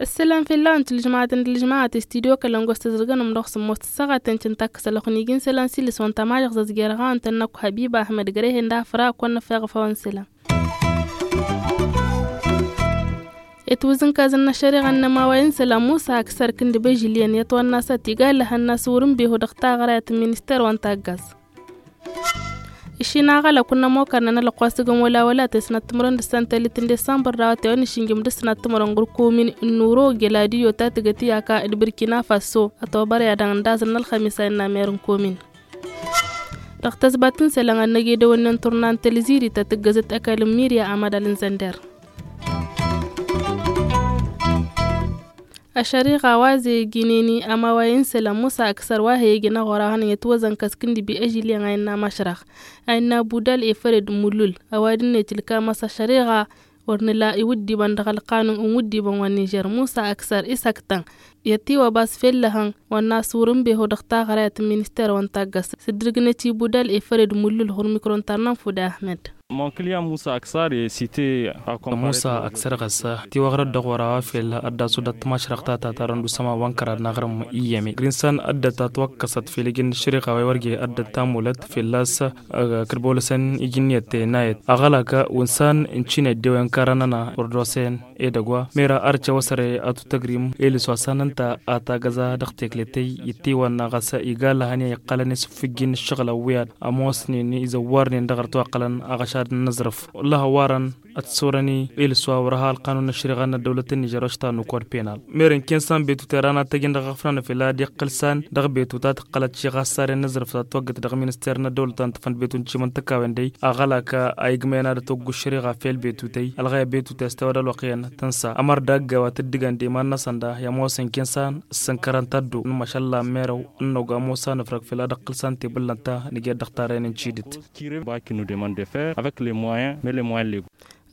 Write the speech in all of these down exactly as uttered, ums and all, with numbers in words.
Ǝssǝlăm fell-awăn tilǝžmaɣăt n-tilǝžmaɣăt i-studio kălăngos tǝzrǝgăn ǝmdăɣ s-ămoos tǝssaɣăt tăn-cǝnta kăsălăɣ n-iji n-isălan s-ilǝs wa n-tamajăɣ zăzgerăɣ-awăn tănnăk habiba ahmed gărehen d-afra kăwăn-năfeɣ făwăn isălan. Itwǝzǝnkazăn n-ašăriɣa n-inămaway n-isălan musa aksăr kǝndǝb ežǝlyen i-ătwănna s-ad-tiga ăllăhăn-năs wăr-ǝnbehu dăɣ-taɣrayăt n-minister wa n-taggaz. Išin aɣălăk wǝnnăn mokărnen ălăqqu asǝgăm wăla wăla tăsnăt timǝrwen d-ǝssan tăllit n-disambăr d-awătewăn išǝnjǝm d-ǝsnăt timǝrwen ɣur-komin n-nuro geladiyo ta tǝgăt i-aka d-bǝrkina faso ătobăr i-ad-dăɣ n-dazǝl n-ălxămis a innă mer n-komin. Dăɣ-tăzbat n-isălan ad-năgedăwănnen turna n-tălzirit ta tǝggăzăt ăkall n-mirya amădal n-zănder. Ašăriɣa wa zegǝneni amaway n-isălan musa ăksăr wa he-ijăn aɣora hănen i-ătwăzăn kăskǝn d-bi ežǝlyen a innă mašrăɣ a innă budal efăred mulul ăwadǝn-net ilkam a-s ašăriɣa wăr nǝla iwǝddibăn dăɣ-ălqanun n-iwǝddibăn wa n-nižer musa ăksăr isăktăn i-ătiwăbas fellăhăn wa n-aswăr n-beho dăɣ-taɣrayăt n-minister wa n-taggăs s-dd-irgǝnăt ibudal efăred mulul ɣur-mikro n-tarnan fude ahmed. Musa ăksăr ɣăsa tiwăɣrăt dăɣ-wăr a-wa fel ăddasu dăɣ-tmašrăɣ ta ta tarăn d-usăma wa n-kărad n-aɣrǝm iyyăme grinsan ăddăt a twăkkăsăt fel ijǝn n-ašriɣ a-wa iwărge ăddăt tamulăt fel a-s kăd-bolăsăn ijǝnniyăt tăyănnayăt aɣălak wa n-san n-cinăt dewen kărănăna wăr d-osen edăgg wa mera ărcăwăsăre ătutăgrim elǝs wa san ǝnta a tagăza dăɣ-tekletăy ittiwănna ɣas iga lăhăn i-a iqqălăn isǝffǝjjin ǝššăɣǝl ăwwiyad ămoosnen izăwwarnen dăɣ-ărtu ăqqălăn aɣăšad n-inǝẓrǝf. Wălla hăwwarăn ătsurăn-i elǝs wa wăr-ăha ălqanun n-ašriɣa n-ăddăwlăt n-nižer oštanu kod penal. Merăn kensan betu terana tăjǝn dăɣ-aɣfran fela d-iqqǝl san dăɣ-betu ta tǝqqălăt šiɣa s-saren n-aẓrǝf ta twaggăt dăɣ-minister n-ăddăwlăt ta n-tǝfăn betu n-timǝntǝkawen dăy aɣălak a igmăyăn ad-ătwăggu ašriɣa fel betu tăy ălɣăyăt betu tăy s-tewăd ălwăqq iyyăn tǝnsa ămăr d-agg a-wa tǝddǝgăn d-iman-năsăn da i-ămoosăn kensan ǝssǝnkărăn taddo n-măšăllan merăw n-năwg ămoos anǝfrăg fela d-ăqqǝl san tebǝllăn ta nǝjed dăɣ-tarrăyăn n-tidǝt.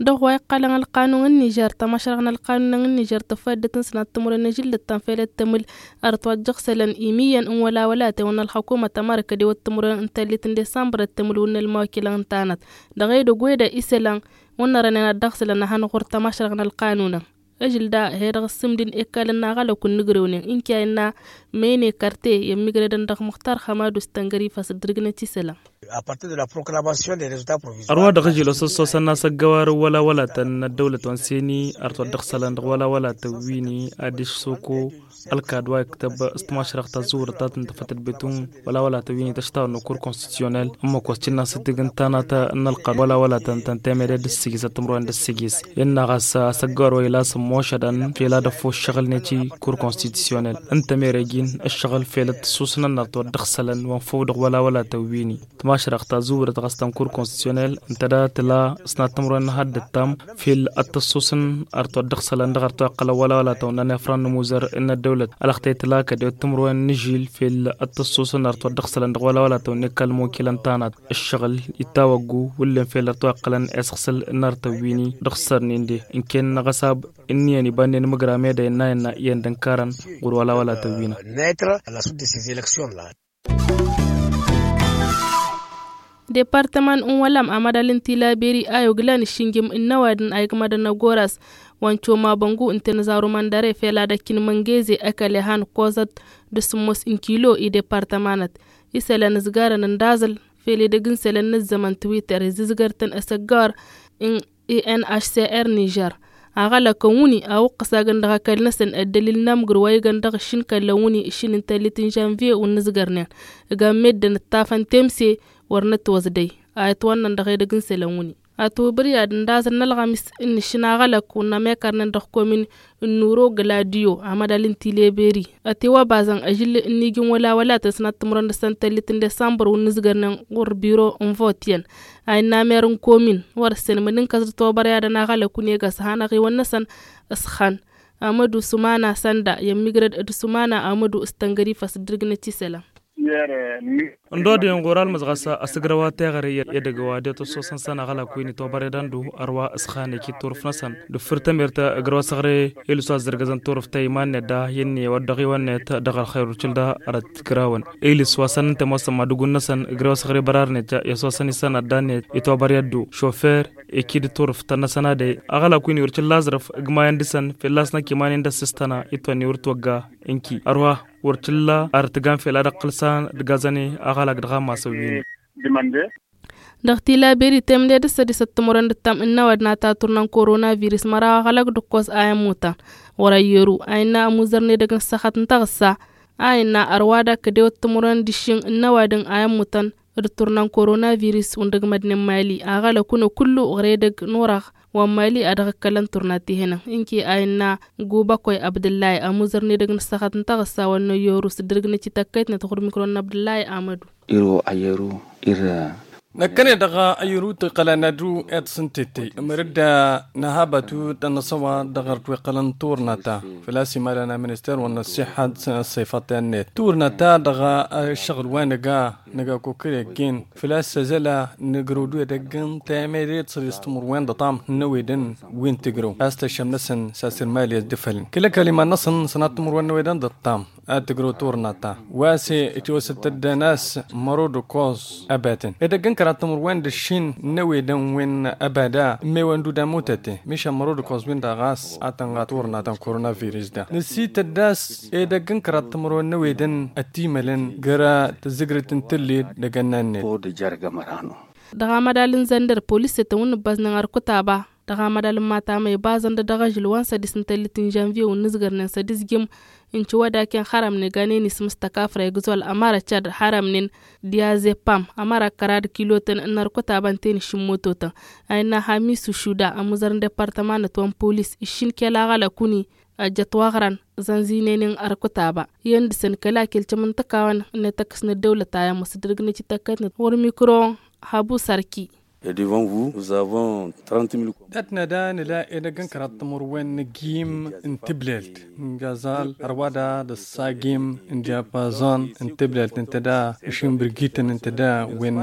Dăɣ-wa iqqălăn ălqanun n-nižer tămašrăɣ n-ălqanun n-nižer tăfăddăt n-sănat timǝrwen n-ažǝllǝt ta n-fel ăttămǝl ărăt wa dd-jăɣsălăn imiyyăn n-wălawălatăn wa n-ălxăkumăt ămărăkăd i-wăt timǝrwen n-tăllit n-disambăr ăttămǝl wa n-ălmawăkilăn n-tanăt dăɣ-edăgg wede isălan wa n-nărănen ad-dăɣsălăn ad-hanăɣ ɣur-tămašrăɣ n-ălqanunăn. Ažǝl da he-dăɣ ǝssǝmdǝn ekkalăn n-aɣălăk wa n-inǝgrewnen ǝnke a innă măyne kărte i-ămmigrădăn dăɣ-muxtar xămadu s-tăngărifa s-dd-ǝrgǝnăt isălan. Ărwa dăɣ-ažil osăssosăn n-asăggăwar n-wălawălatăn n-ăddăwlăt wa n-seni ărtwăt dăɣ-isălan dăɣ-wălawălatăn wi-ni adiš soko ălkad wa iktăb s-timašrăɣt ta zǝwrăt ta tǝntăfăt d-betun wălawălatăn wi-ni tăštawăn n-kur konstitusyonel ǝmmǝk wa s-cǝnna s-tǝgǝn tanat n-ălqan wălawălatăn tăn-temede d-ǝssǝjǝs ăttǝmrăwen d-ǝssǝjǝs innă ɣas asăggăwar wa ila s-ămmošădăn fel ad-ăffoššăɣǝl-net i-kur konstitusyonel ǝnta mere jin ǝššăɣǝl fel ăttăssusnăn ărtwăt dăɣ-isălan wa n-făw dăɣ-wălawălatăn wi-ni tǝmašrăɣt ta zǝwrăt ɣas ta n-kur konstitusyonel ǝnta da tǝla s-nattămrăwen n-haddăt tam fel ăttăssusăn ărtwăt dăɣ-isălan dăɣ-ărtwa iqqălăn wălawălatăn wa n-anefran n-amuzăr n-ăddăwlăt ălăxtăy tǝla kădewăt tǝmrăwen n-ažil fel ăttăssusăn ărtwăt dăɣ-isălan dăɣ-wălawălatăn wa n-ekal mokilăn tanat ǝššăɣǝl ittawăggu wǝllen fel ărtwa iqqălăn esăɣsǝl n-artăn wi-ni dăɣ-sărnen de ǝnken n-aɣăsab ǝnniyăn ibannen imǝgra meda innă innă iyyăn d-ǝnkarăn ɣur-wălawălatăn wi-năɣ. Departăman n-wălam amădal n-tilaberi a yoglan išǝnjǝm n-ăwadǝm a igmădăn ăgoras wa n-comabăngu n-tenăzaru măndăre fel ad-ăkkin măngeze ăkall i-han kozăt d-sǝmmos n-kilo i-departămanăt isălan ǝzgarăn ǝndaẓǝl fel edăgg n-isălan n-ăzzămăn twitter izǝzgăr-tăn asăggăwăr n-enhcr nižer aɣălăkăn wǝnni a wăqqăs agăn dăɣ-ăkall-năsăn ăddălil n-amǝgr wa igăn dăɣ-išǝnkăllăn wǝnni išǝn n-tăllit n-žănviye wa n-inǝzgărnen ǝgam meddǝn ǝṭṭafăn temse wăr nǝtwăẓdăy a itwănnăn dăɣ-edăgg n-isălan wǝnni. Ătwăbăryad ǝndaẓăn n-ălɣămis n-išǝn aɣălăk wa n-amekărnen dăɣ-komin n-nuro gladiyo amădal n-tileberi ătiwăbazăn ažǝl n-iji n-wălawălatăn s-năttămrăn dăɣ-săn tăllit n-disambăr wa n-inǝzgărnen ɣur-biro n-vot iyyăn a innă mer n-komin wăr-ǝssin mǝdǝnkăs d-ătwăbăryadăn aɣălăk wǝnni ega s-hanăɣ-iwăn-năsăn s-xăn amădu sumana sănda i-ămmigrăd d-sumana amădu s-tăngărifa s-dd-ǝrgǝnăt isălan. Ǝndodăyăn ɣur-almǝzɣas asǝgrăw a teɣăre i-edăgg wa de-tăssosăn săn aɣălak wi n-itobăre d-andu ărwa ǝsxan ekit turǝf-năsăn d-ǝffǝr tămert ǝgrăw asăɣre ilis wa ăzzărgăzăn turǝft ta iman-net da i-ǝnni wa dd-ăɣiwăn-net dăɣ-ălxer urcǝl da. Arăt ǝgrawăn ilis wa săn ǝnta ămoosăn madǝgun-năsăn ǝgrăw asăɣre bărar-net i-ăssosăn isănăddan-net itobăre ăddu šofer ekid turǝft-năsăn a dăy aɣălak wi n-iwrǝcǝl la aẓrǝf ǝgmayăn dăɣ-săn fălla-s năkk iman-in d-ăssistăna itwănni wăr t-wăgga. Ǝnki ărwa wăr t-illa ar tǝgan fel ad-ăqqǝl s-ad-ǝggazăn i-aɣălak dăɣ-amasăn wi-ni. Dăɣ-tilaberi temǝne d-ǝssădisăt timǝrwen d-ǝttam ǝnnăwăd n-ad-taturna n-korona virus măraw aɣălak d-ǝkkos a ămmutăn ɣur-ăyyăru a innă ămuzărnen edăgg n-ǝssăxăt n-taɣǝssa a innă ărwa d-akkădewăt timǝrwen d-ǝššin ǝnnăwadăn a ămmutăn d-turna n-korona virus wǝndăgg mădnen mali aɣălăk wǝnăɣ kullu ɣur-edăgg n-orăɣ wa n-mali a dăɣ-ǝkkălăn turna ti-hănăn. Ǝnke a innă gubăkoy abdǝllay ămuzărnen edăgg n-ǝssăxăt n-taɣǝssa wa n-ăyyăru s-dd-ǝrǝgnăt i-tăkkăytnet ɣur-mikro n-abdǝllay amădu. Iro ăyyăru ir năkkăne dăɣ-ăyyăru tǝqqălăn ad-dd-wi ed s-ǝnta ettăy mărǝdda năhabatu tănnăsăwa dăɣ-ărtweqqălăn turna ta făl-a-s imalăn aminister wa n-ăṣṣiḥăt s-ăṣṣăyfăṭ i-net turna ta dăɣ-ăššăɣǝl wa nǝga nǝga kukǝreggen făl-a-s ăzăla nǝgrăwdu edăgg n-temădet s-ăḍis timǝrwen d-ăṭṭam n-ăwedăn wi n-tǝgrăw a-s tăššăm-năsăn s-asǝrmali ăsdăfălăn kăl-ăkall iman-năsăn sănat timǝrwen n-ewedăn d-ăṭṭam ad-tǝgrăw turna ta wa se itiwăsăt tăddăn a-s mărod ăkkoẓ ăbatăn edăgg n-kăraḍ timǝrwen d-ǝššin n-ewedăn wi n-ăbada n-mewăn d-udamutăte mišan mărod ăkkoẓ win-dăɣ ɣas ad-tănɣa turna ta n-korona virus da nǝsităt d-a-s edăgg n-kăraḍ timǝrwen n-ewedăn ătimălăn găra tǝzzǝgrǝt n-tǝlled dăgg-ănn-net. Dăɣ-amădal n-zăndăr polis s-e-tăn wǝnnǝbbăẓnen ărkǝtaba dăɣ-amădal n-matamăy bazăn-dăɣ dăɣ-ažǝl wa n-sădis n-tellit n-žănvye wǝnnǝzgărnen sădis jim n-ciwădaken xărămnen ganen ismǝstăk afreg zol ămărăt šad xărămnen diazepam ămărăt kăra d-kilotăn n-ărkǝtaba n-tenǝšš n-mototăn a innă hamisu šuda ămuzăr n-departămanăt wa n-polis ǝššin kel aɣălăk wǝnni ăjjăt wa ɣran zănzinen-in ărkǝtaba iyyăn dăɣ-săn kăla kelcăm n-tǝkawăn n-etăkkǝs n-ăddăwlăt a iyyăn măsdărg n-ecităkkătnăt ɣur-mikro habu sărki. Dat-năda nǝla edăgg n-kăraḍ timǝrwen n-agim n-tiblelt n-gazal ărwada d-ăssagim n-diapazon n-tiblelt ǝnta da ǝšin bǝrgităn ǝnta da wen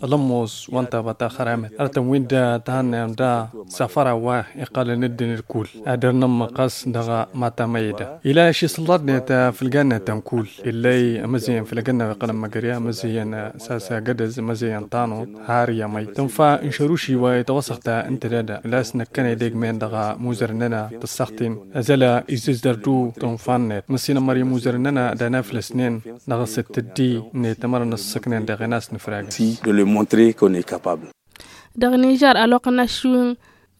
ălămmos wa n-taba ta xăramăt ărtăn win-dăɣ tăhannăyăm da safăra wa iqqălăn ǝddǝn d-kull ad-ăr nǝmmăqqăs dăɣ-matamăyda ila ašisǝllaḍnet făll-gannetăn kull illăy ămăzăyyăn făll-agănna wa iqqălăn măgări ămăzăyyăn sasa gădăz ămăzăyyăn tanut har i-amăy tǝnfa n-šăruši wa itwăsăɣta ǝnta dăda ila s-năkkăne degmen dăɣ-muzărăn-nănăɣ tǝssăɣtin ăzăla izǝzdărdu tǝnfa-net măssinămmăr i-muzărăn-nănăɣ d-anaflăsnen dăɣ-asǝt tǝddi n-etămăr n-ăssăknen dăɣ-enas n-ifragăn. Dăɣ-nižăr ălwăqq n-aššǝwǝn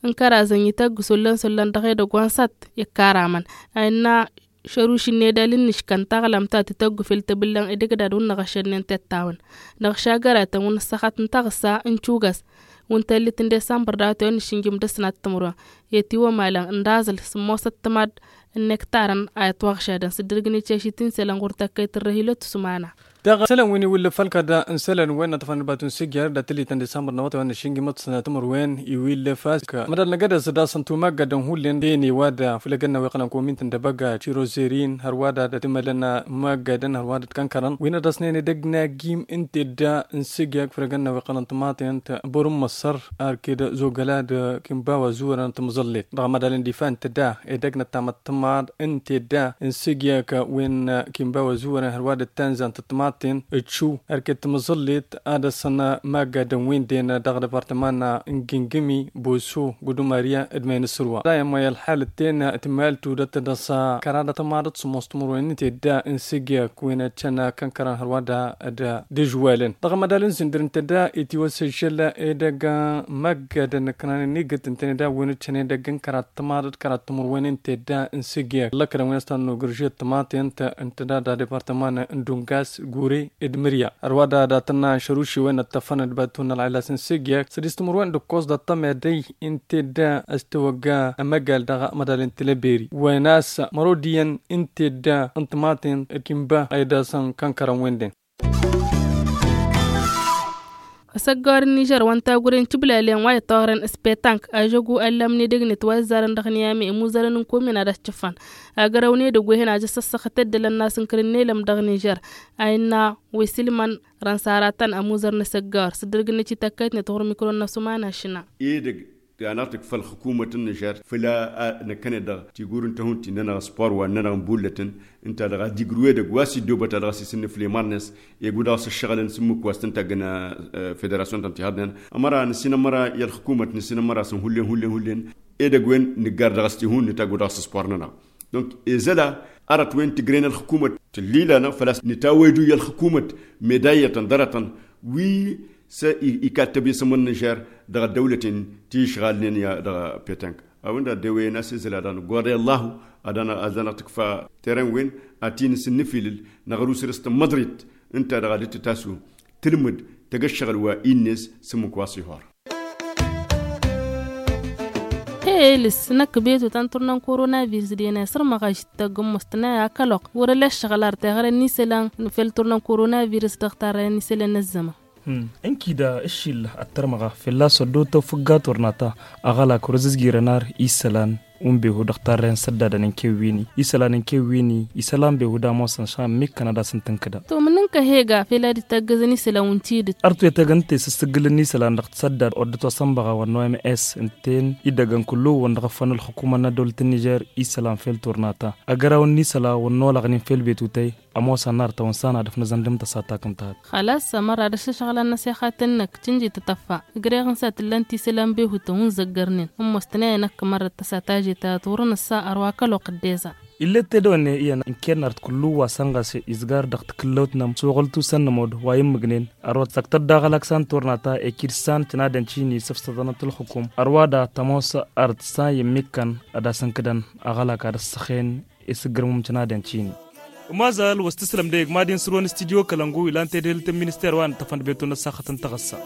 n-kăraẓăn ităgg s-ollăn s-ollăn dăɣ-edăgg wa n-săt ikkaramăn a innă šăruš n-edal n-inǝškăn taɣlăm ta tǝtăggu fel tebǝllăn edăgg dad-wǝnnăɣ ăššădnen tettawăn dăɣ-šagăratăn wǝnnǝssăxăt n-taɣǝssa n-cugas wǝntallit n-desămbăr dawăt i-wănnăššǝnjǝm d-ăsnat timǝrwen i-tiwămalăn n-daẓǝl sǝmmosăt timaḍ n-nektarăn a itwăɣšadăn s-dd-ǝrgǝn iceš itinsălăn ɣur-tăkkăyt n-răhilăt usmana. Dăɣ-isălan wi n-iwǝllǝf ălkăd n-isălan wen n-aṭṭăfăn d-batun s-ijjăr d-atǝllit n-disămbăr n-awătay wa n-ašǝnjǝm d-sănatăm ărwen iwǝllǝf a-s kămădal n-egădăs d-asăn tumăggădăn hullen d-ene iwadda făll-egănna wa iqqălăn komint n-dăbăga tirozerin hărwa da d-atǝmălăn măggădăn hărwa da d-kănkărăn wi n-ad-dăsnen edăgg n-agim n-tedda n-sǝjjak făll-egănna wa iqqălăn tămaten t-bărǝm măssăr arked zogăla d-kinba wa zuwărăn tǝmẓăllet dăɣ-amădal n-difa n-tedda edăgg n-ăttamăt tămaḍ n-tedda n-sǝjjak wen kinba wa zuwărăn hărwa da d-tanzant tămaten d-šuw arked tǝmẓăllet ad-dăsăn măggădăn wen den dăɣ-departăman n-gingǝmi boso gudumariya d-menǝsrǝwa dayăm wa i-ălxal d-ten tǝmaltu d-ad-tădăs kăra d-atămaḍăt s-ămoos timǝrwen n-tedda n-sǝjjak wen ăccăn kănkărăn hărwa da d-ǝžwalăn dăɣ-amădal n-sǝndǝr n-tedda itiwăsăžžăl edăgg măggădăn ǝknan n-igǝt ǝntăne da wen ǝccăn edăgg n-kăraḍ tămaḍăt kăraḍ timǝrwen n-tedda n-sǝjjak lăkkădăn wen ăstănnu gǝrže d-tămaten ǝntăda da departăman n-dungas gure d-mǝrya ărwa da dat-tănna n-šăruši wen ăṭṭăfăn d-bătun ălɣilas n-sǝjjak sădis timǝrwen d-ǝkkoẓ d-ăṭṭămedăy n-tedda ăstăwăgga ămăgal dăɣ-amădal n-tilăberi wen a-s mărod iyyăn n-tedda n-tămaten d-kinba a idasăn kănkărăn wen-den. Asăggor n-nižer wa n-tagure n-tiblalen wa ittoɣren s-petank ažăgu ăllamne dăgnet wa izzarăn dăɣ-niyame imuzărăn n-komin ad-ăščăfăn. Agărăwne dăgg-wehen ajăs ăssăxăt ăddălăn n-asǝnkăr n-elăm dăɣ-nižer. A innă wi s-ilman rănsaratăn ămuzăr n-asăggor s-dd-ărgǝnnăt ităkkăytnet ɣur-mikro n-asumana šina. Edăgg. Tănăɣ-tǝkfa ălxǝkumăt n-nižer făll-a năkkăne dăɣ-tigur n-tăhunt-i-nănăɣ spor wa n-nănăɣ n-bullătăn. Ǝnta dăɣ-adigru edăgg wa s-iddobăt a dăɣ-s isǝnnǝfle marnes. Eg-u-dăɣ s-ăššăɣǝlăn s-ǝmmǝk wa s-tǝntagg n-federasyon-tăn ti haḍnen ămăra nǝssin ămăra i-ălxǝkumăt nǝssin ămăra săn hullen hullen hullen. Edăgg-wen nǝggar dăɣ-s tihun nǝtagg-u-dăɣ s-spor-nănăɣ. Donc ezăla arăt-wen tǝgren ălxǝkumăt tǝllila-năɣ făl-a-s nǝtawăydu i-ălxǝkumăt medayyătăn ḍarătăn wi s-ikad tăbesăm n-nižer dăɣ-ăddăwlăten ti išɣalnen i-dăɣ-petănk. A-wen-dăɣ ăddewăyăn a-s ezăla dăɣ-nǝggoḍe ăllahu ad-dăɣ-năɣ tǝkfa teren-wen ad-t-in-sǝnnǝfilǝl năɣrǝw săr-s tămmăḍrit ǝnta dăɣ-ad-dd-tǝtasu tǝlmǝd tăgg ăššăɣǝl wa innes s-ǝmmǝk wa s-ihor. Elǝs năkk betu ta n-turna n-koronavirus d-ena isǝrmăɣ ažǝttăgg ǝmmos tǝnay akăloq wăr-ăla ăššăɣǝl ar teɣăre n-isălan fel turna n-koronavirus dăɣ-tarrăyăn n-isălan n-ăzzăman. Ǝnkida ǝššilla ad-tărmăɣa fălla-s ăddootăw fǝgga turna ta aɣălak wăr-ăzǝzgirăn ar isălan. Unbehu dăɣ-tarrăyăn săddadăn n-kewwini isălan n-kewwini isălan behu d-amosăn šan mikkăn ad-asǝn tǝnkǝda. Tumǝnǝnkăh ega fel ad-dd-taggăzăn isălan wǝn tidǝt. Artu etăgg ǝnta i-sǝssǝggǝlăn n-isălan dăɣ-t săddad oddăt wa s-ănbăɣa wa n-oms ǝnta-en iddăgăn kullu-wăn dăɣ-ăffan ălxukumăn n-ăddăwlăt n-nižer isălan fel turna ta. Agăraw n-isălan wa n-olaɣnen fel betutăy ămoosăn n-artăwăn s-anadăf n-azăndăm tăsa takǝm tahat. Xălas ămăra d-ašăšɣălăn n-asexat-năk tǝnji tătăffa. Ǝgreɣ n-sa tǝllăn tisǝlan behutăn wǝn zăggărnen ămoos tǝnayăn ăkk mărrăt tăsa taje tahat wăr-nǝssa ărwa kăloq dd-eza. Illet tedăwănne iyyăn ǝnken nart kullu wa sănɣase izgar dăɣ-takǝllăwt-năm suɣǝl tusăn nămod wa immǝgnen. Ărwa tăsăktăt daɣ alăksan turna ta ekid san tǝnadăn cini săfsăḍănăt ǝlxǝkum ărwa da tămoos ărtǝsan i-ǝmmikkăn ad-asǝnkǝdăn aɣălak ad-ăssăxen. Isǝggǝrmum tǝnadăn cini. Ămazal wa s-tǝslăm deg mad-in sǝrwăn studyo kălăngu ilan tedhǝlt n-minister wa n-tăfăn d-betu n-ăssaxăt n-taɣǝssa.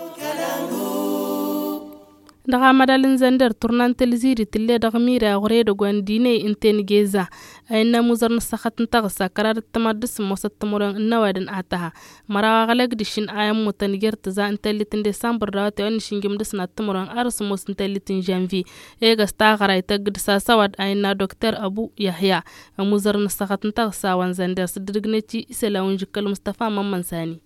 Dăɣ-amădal n-zănder turna n-tălziri tǝlle dăɣ-mira ɣur-edăgg wa n-diney ǝnta n-geza. A innă amuzăr n-ăssaxăt n-taɣǝssa kăraḍăt tămaḍ d-sǝmmosăt timǝrwen n-ăwadǝm a tăha. Măraw aɣlăg d-ašin a ămmutăn jer-tǝza n-tellit n-desambăr d-awătay wa n-ašǝnjǝm d-asnat timǝrwen ar s-ămoos n-tellit n-žănvye. Egăs taɣăra ităgg d-sasăwăd a innă dokter ăbu yăhya. Ămuzăr n-ăssaxăt n-taɣǝssa wa n-zănder s-dd-ǝdǝgnăt i-isălan wa n-žǝkkăl mustăfa mămmăn sani.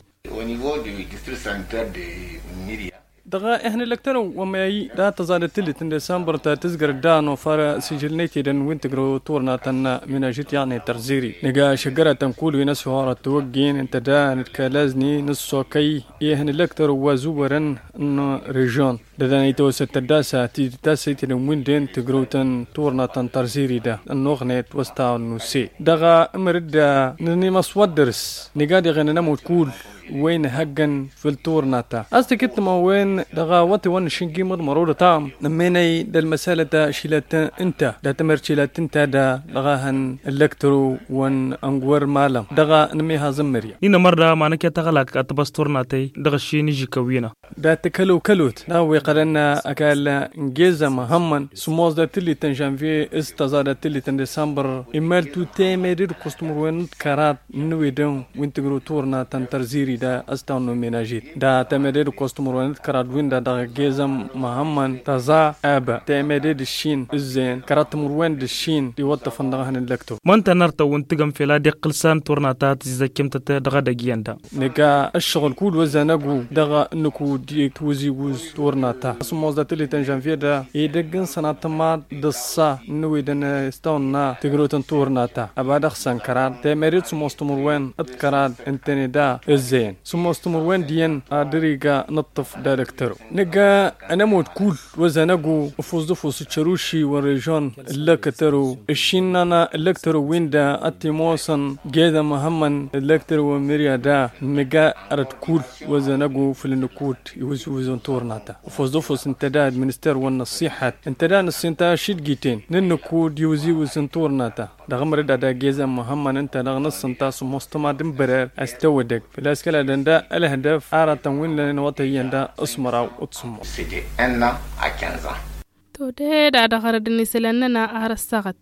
Dăɣ-ehăn ǝllăktărăn wa măyăy dat-tăẓadăt tǝllit n-desambăr ta tǝzgăr dd-anofar sijǝl n-etedăn wi n-tǝgrăw turna ta n-minažit yaɣ-net tărziri nǝga šăggăratăn kul wi n-ăshorăt tawăggen ǝnta da nǝdkălazni n-ăssokăy. Ehăn ǝllăktărăn wa zubărăn n-režion. Dădan itawăsăt tăddasa tidǝt a-s itedăn wi n-den tǝgrăwt n-turna ta n-tărziri da ănnuɣnet wa s-tawăn nuse. Dăɣ-amăr-dd nǝnimăs wa dd-ărs nǝga diɣen ănămut kul. Wen ihăggăn făll-turna ta a-s tǝkǝttǝmăn wen dăɣ-awătay wa n-ašǝnjim d-mărodăt a ămmenăy d-ălmăsalăt ašilat ǝnta dat-amăr cilat ǝnta da dăɣ-ahăn ǝllăktăro wa n-ăngwăr malăm dăɣ-anămihaẓ n-mărya. Ninămăr da ma năkăy taɣălak ad-tăbăs turna ta-i dăɣ-ašin ižikăwwina. Dat-kălokălot dăɣ-wi qălăn ăkall n-geza măhămmăn sǝmmos dat-tǝllit n-žănvye s-tăẓa dat-tǝllit n-desambăr. Immăl tu temede d-ǝkkoẓ timǝrwen d-kăraḍ n-inǝwedăn wi n-tǝgrǝw turna ta n-tărziri da ăstawăn n-omenažit da temede d-ǝkkoẓ timǝrwen d-kăraḍ win-da dăɣ-geza măhămmăn tăẓa aba temede d-ǝššin ǝzzeyăn kăraḍ timǝrwen d-ǝššin d-iwăṭṭăfăn dăɣ-ehăn ǝllăktăw. Măntăn artăw wǝn tǝgăm fel ad-iqqǝl san turna ta tǝzzǝzzăkkemtăt dăɣ-edăgg iyyăn da. Nǝga ǝššăɣǝl kud wa ăzzanăgu dăɣ-nǝkud i-tiwǝziwǝz turna ta a-s ămoos dat-tǝllit n-žănvye da edăgg n-sănatăma d-ăṣṣa n-inǝwedăn s-tawănna tǝgrăwt n-turna ta ăba dăɣ-săn kăraḍ temăre d-sămoos timǝrwen d-kăraḍ ǝntăne da ǝzzeyăn sămoos timǝrwen d-iyyăn ad-ăriga n-ǝṭṭǝf d-ad-ǝktărăw. Nǝga ănămud kull wa ăzzanăgu ăfuẓ d-ăfuẓ ǝccăruši wa n-režion ǝllăk ǝtărăw ǝššin n-ana ǝllăk ǝtărăw win-da ad-t-imoosăn geda măhămmăn ǝllăk ǝtărăw wa n-mǝrya da nǝga arăt kull wa ăzzanăgu făll-nǝkud iwǝzwǝz n-turna ta ăfuẓ d-ăfuẓ ǝnta da administer wa n-năṣṣiḥăt ǝnta da nǝssin ta ašidgiten n-nǝkud iwǝzwǝz n-turna ta. Dăɣ-amăr dd-ad-agezăn măhămmăn ǝnta-dăɣ nǝssǝnta s-ămoos tămad n-bărer a-s tăwădăg făl-a-s kăla dăɣ-ǝnda ălhădăf aratăn wi n-lănen iwătăyyăn da s-măraw d-sǝmmos. Toded a dăɣ-arăd-nǝsǝlăn-nănăɣ ar ăssaɣăt.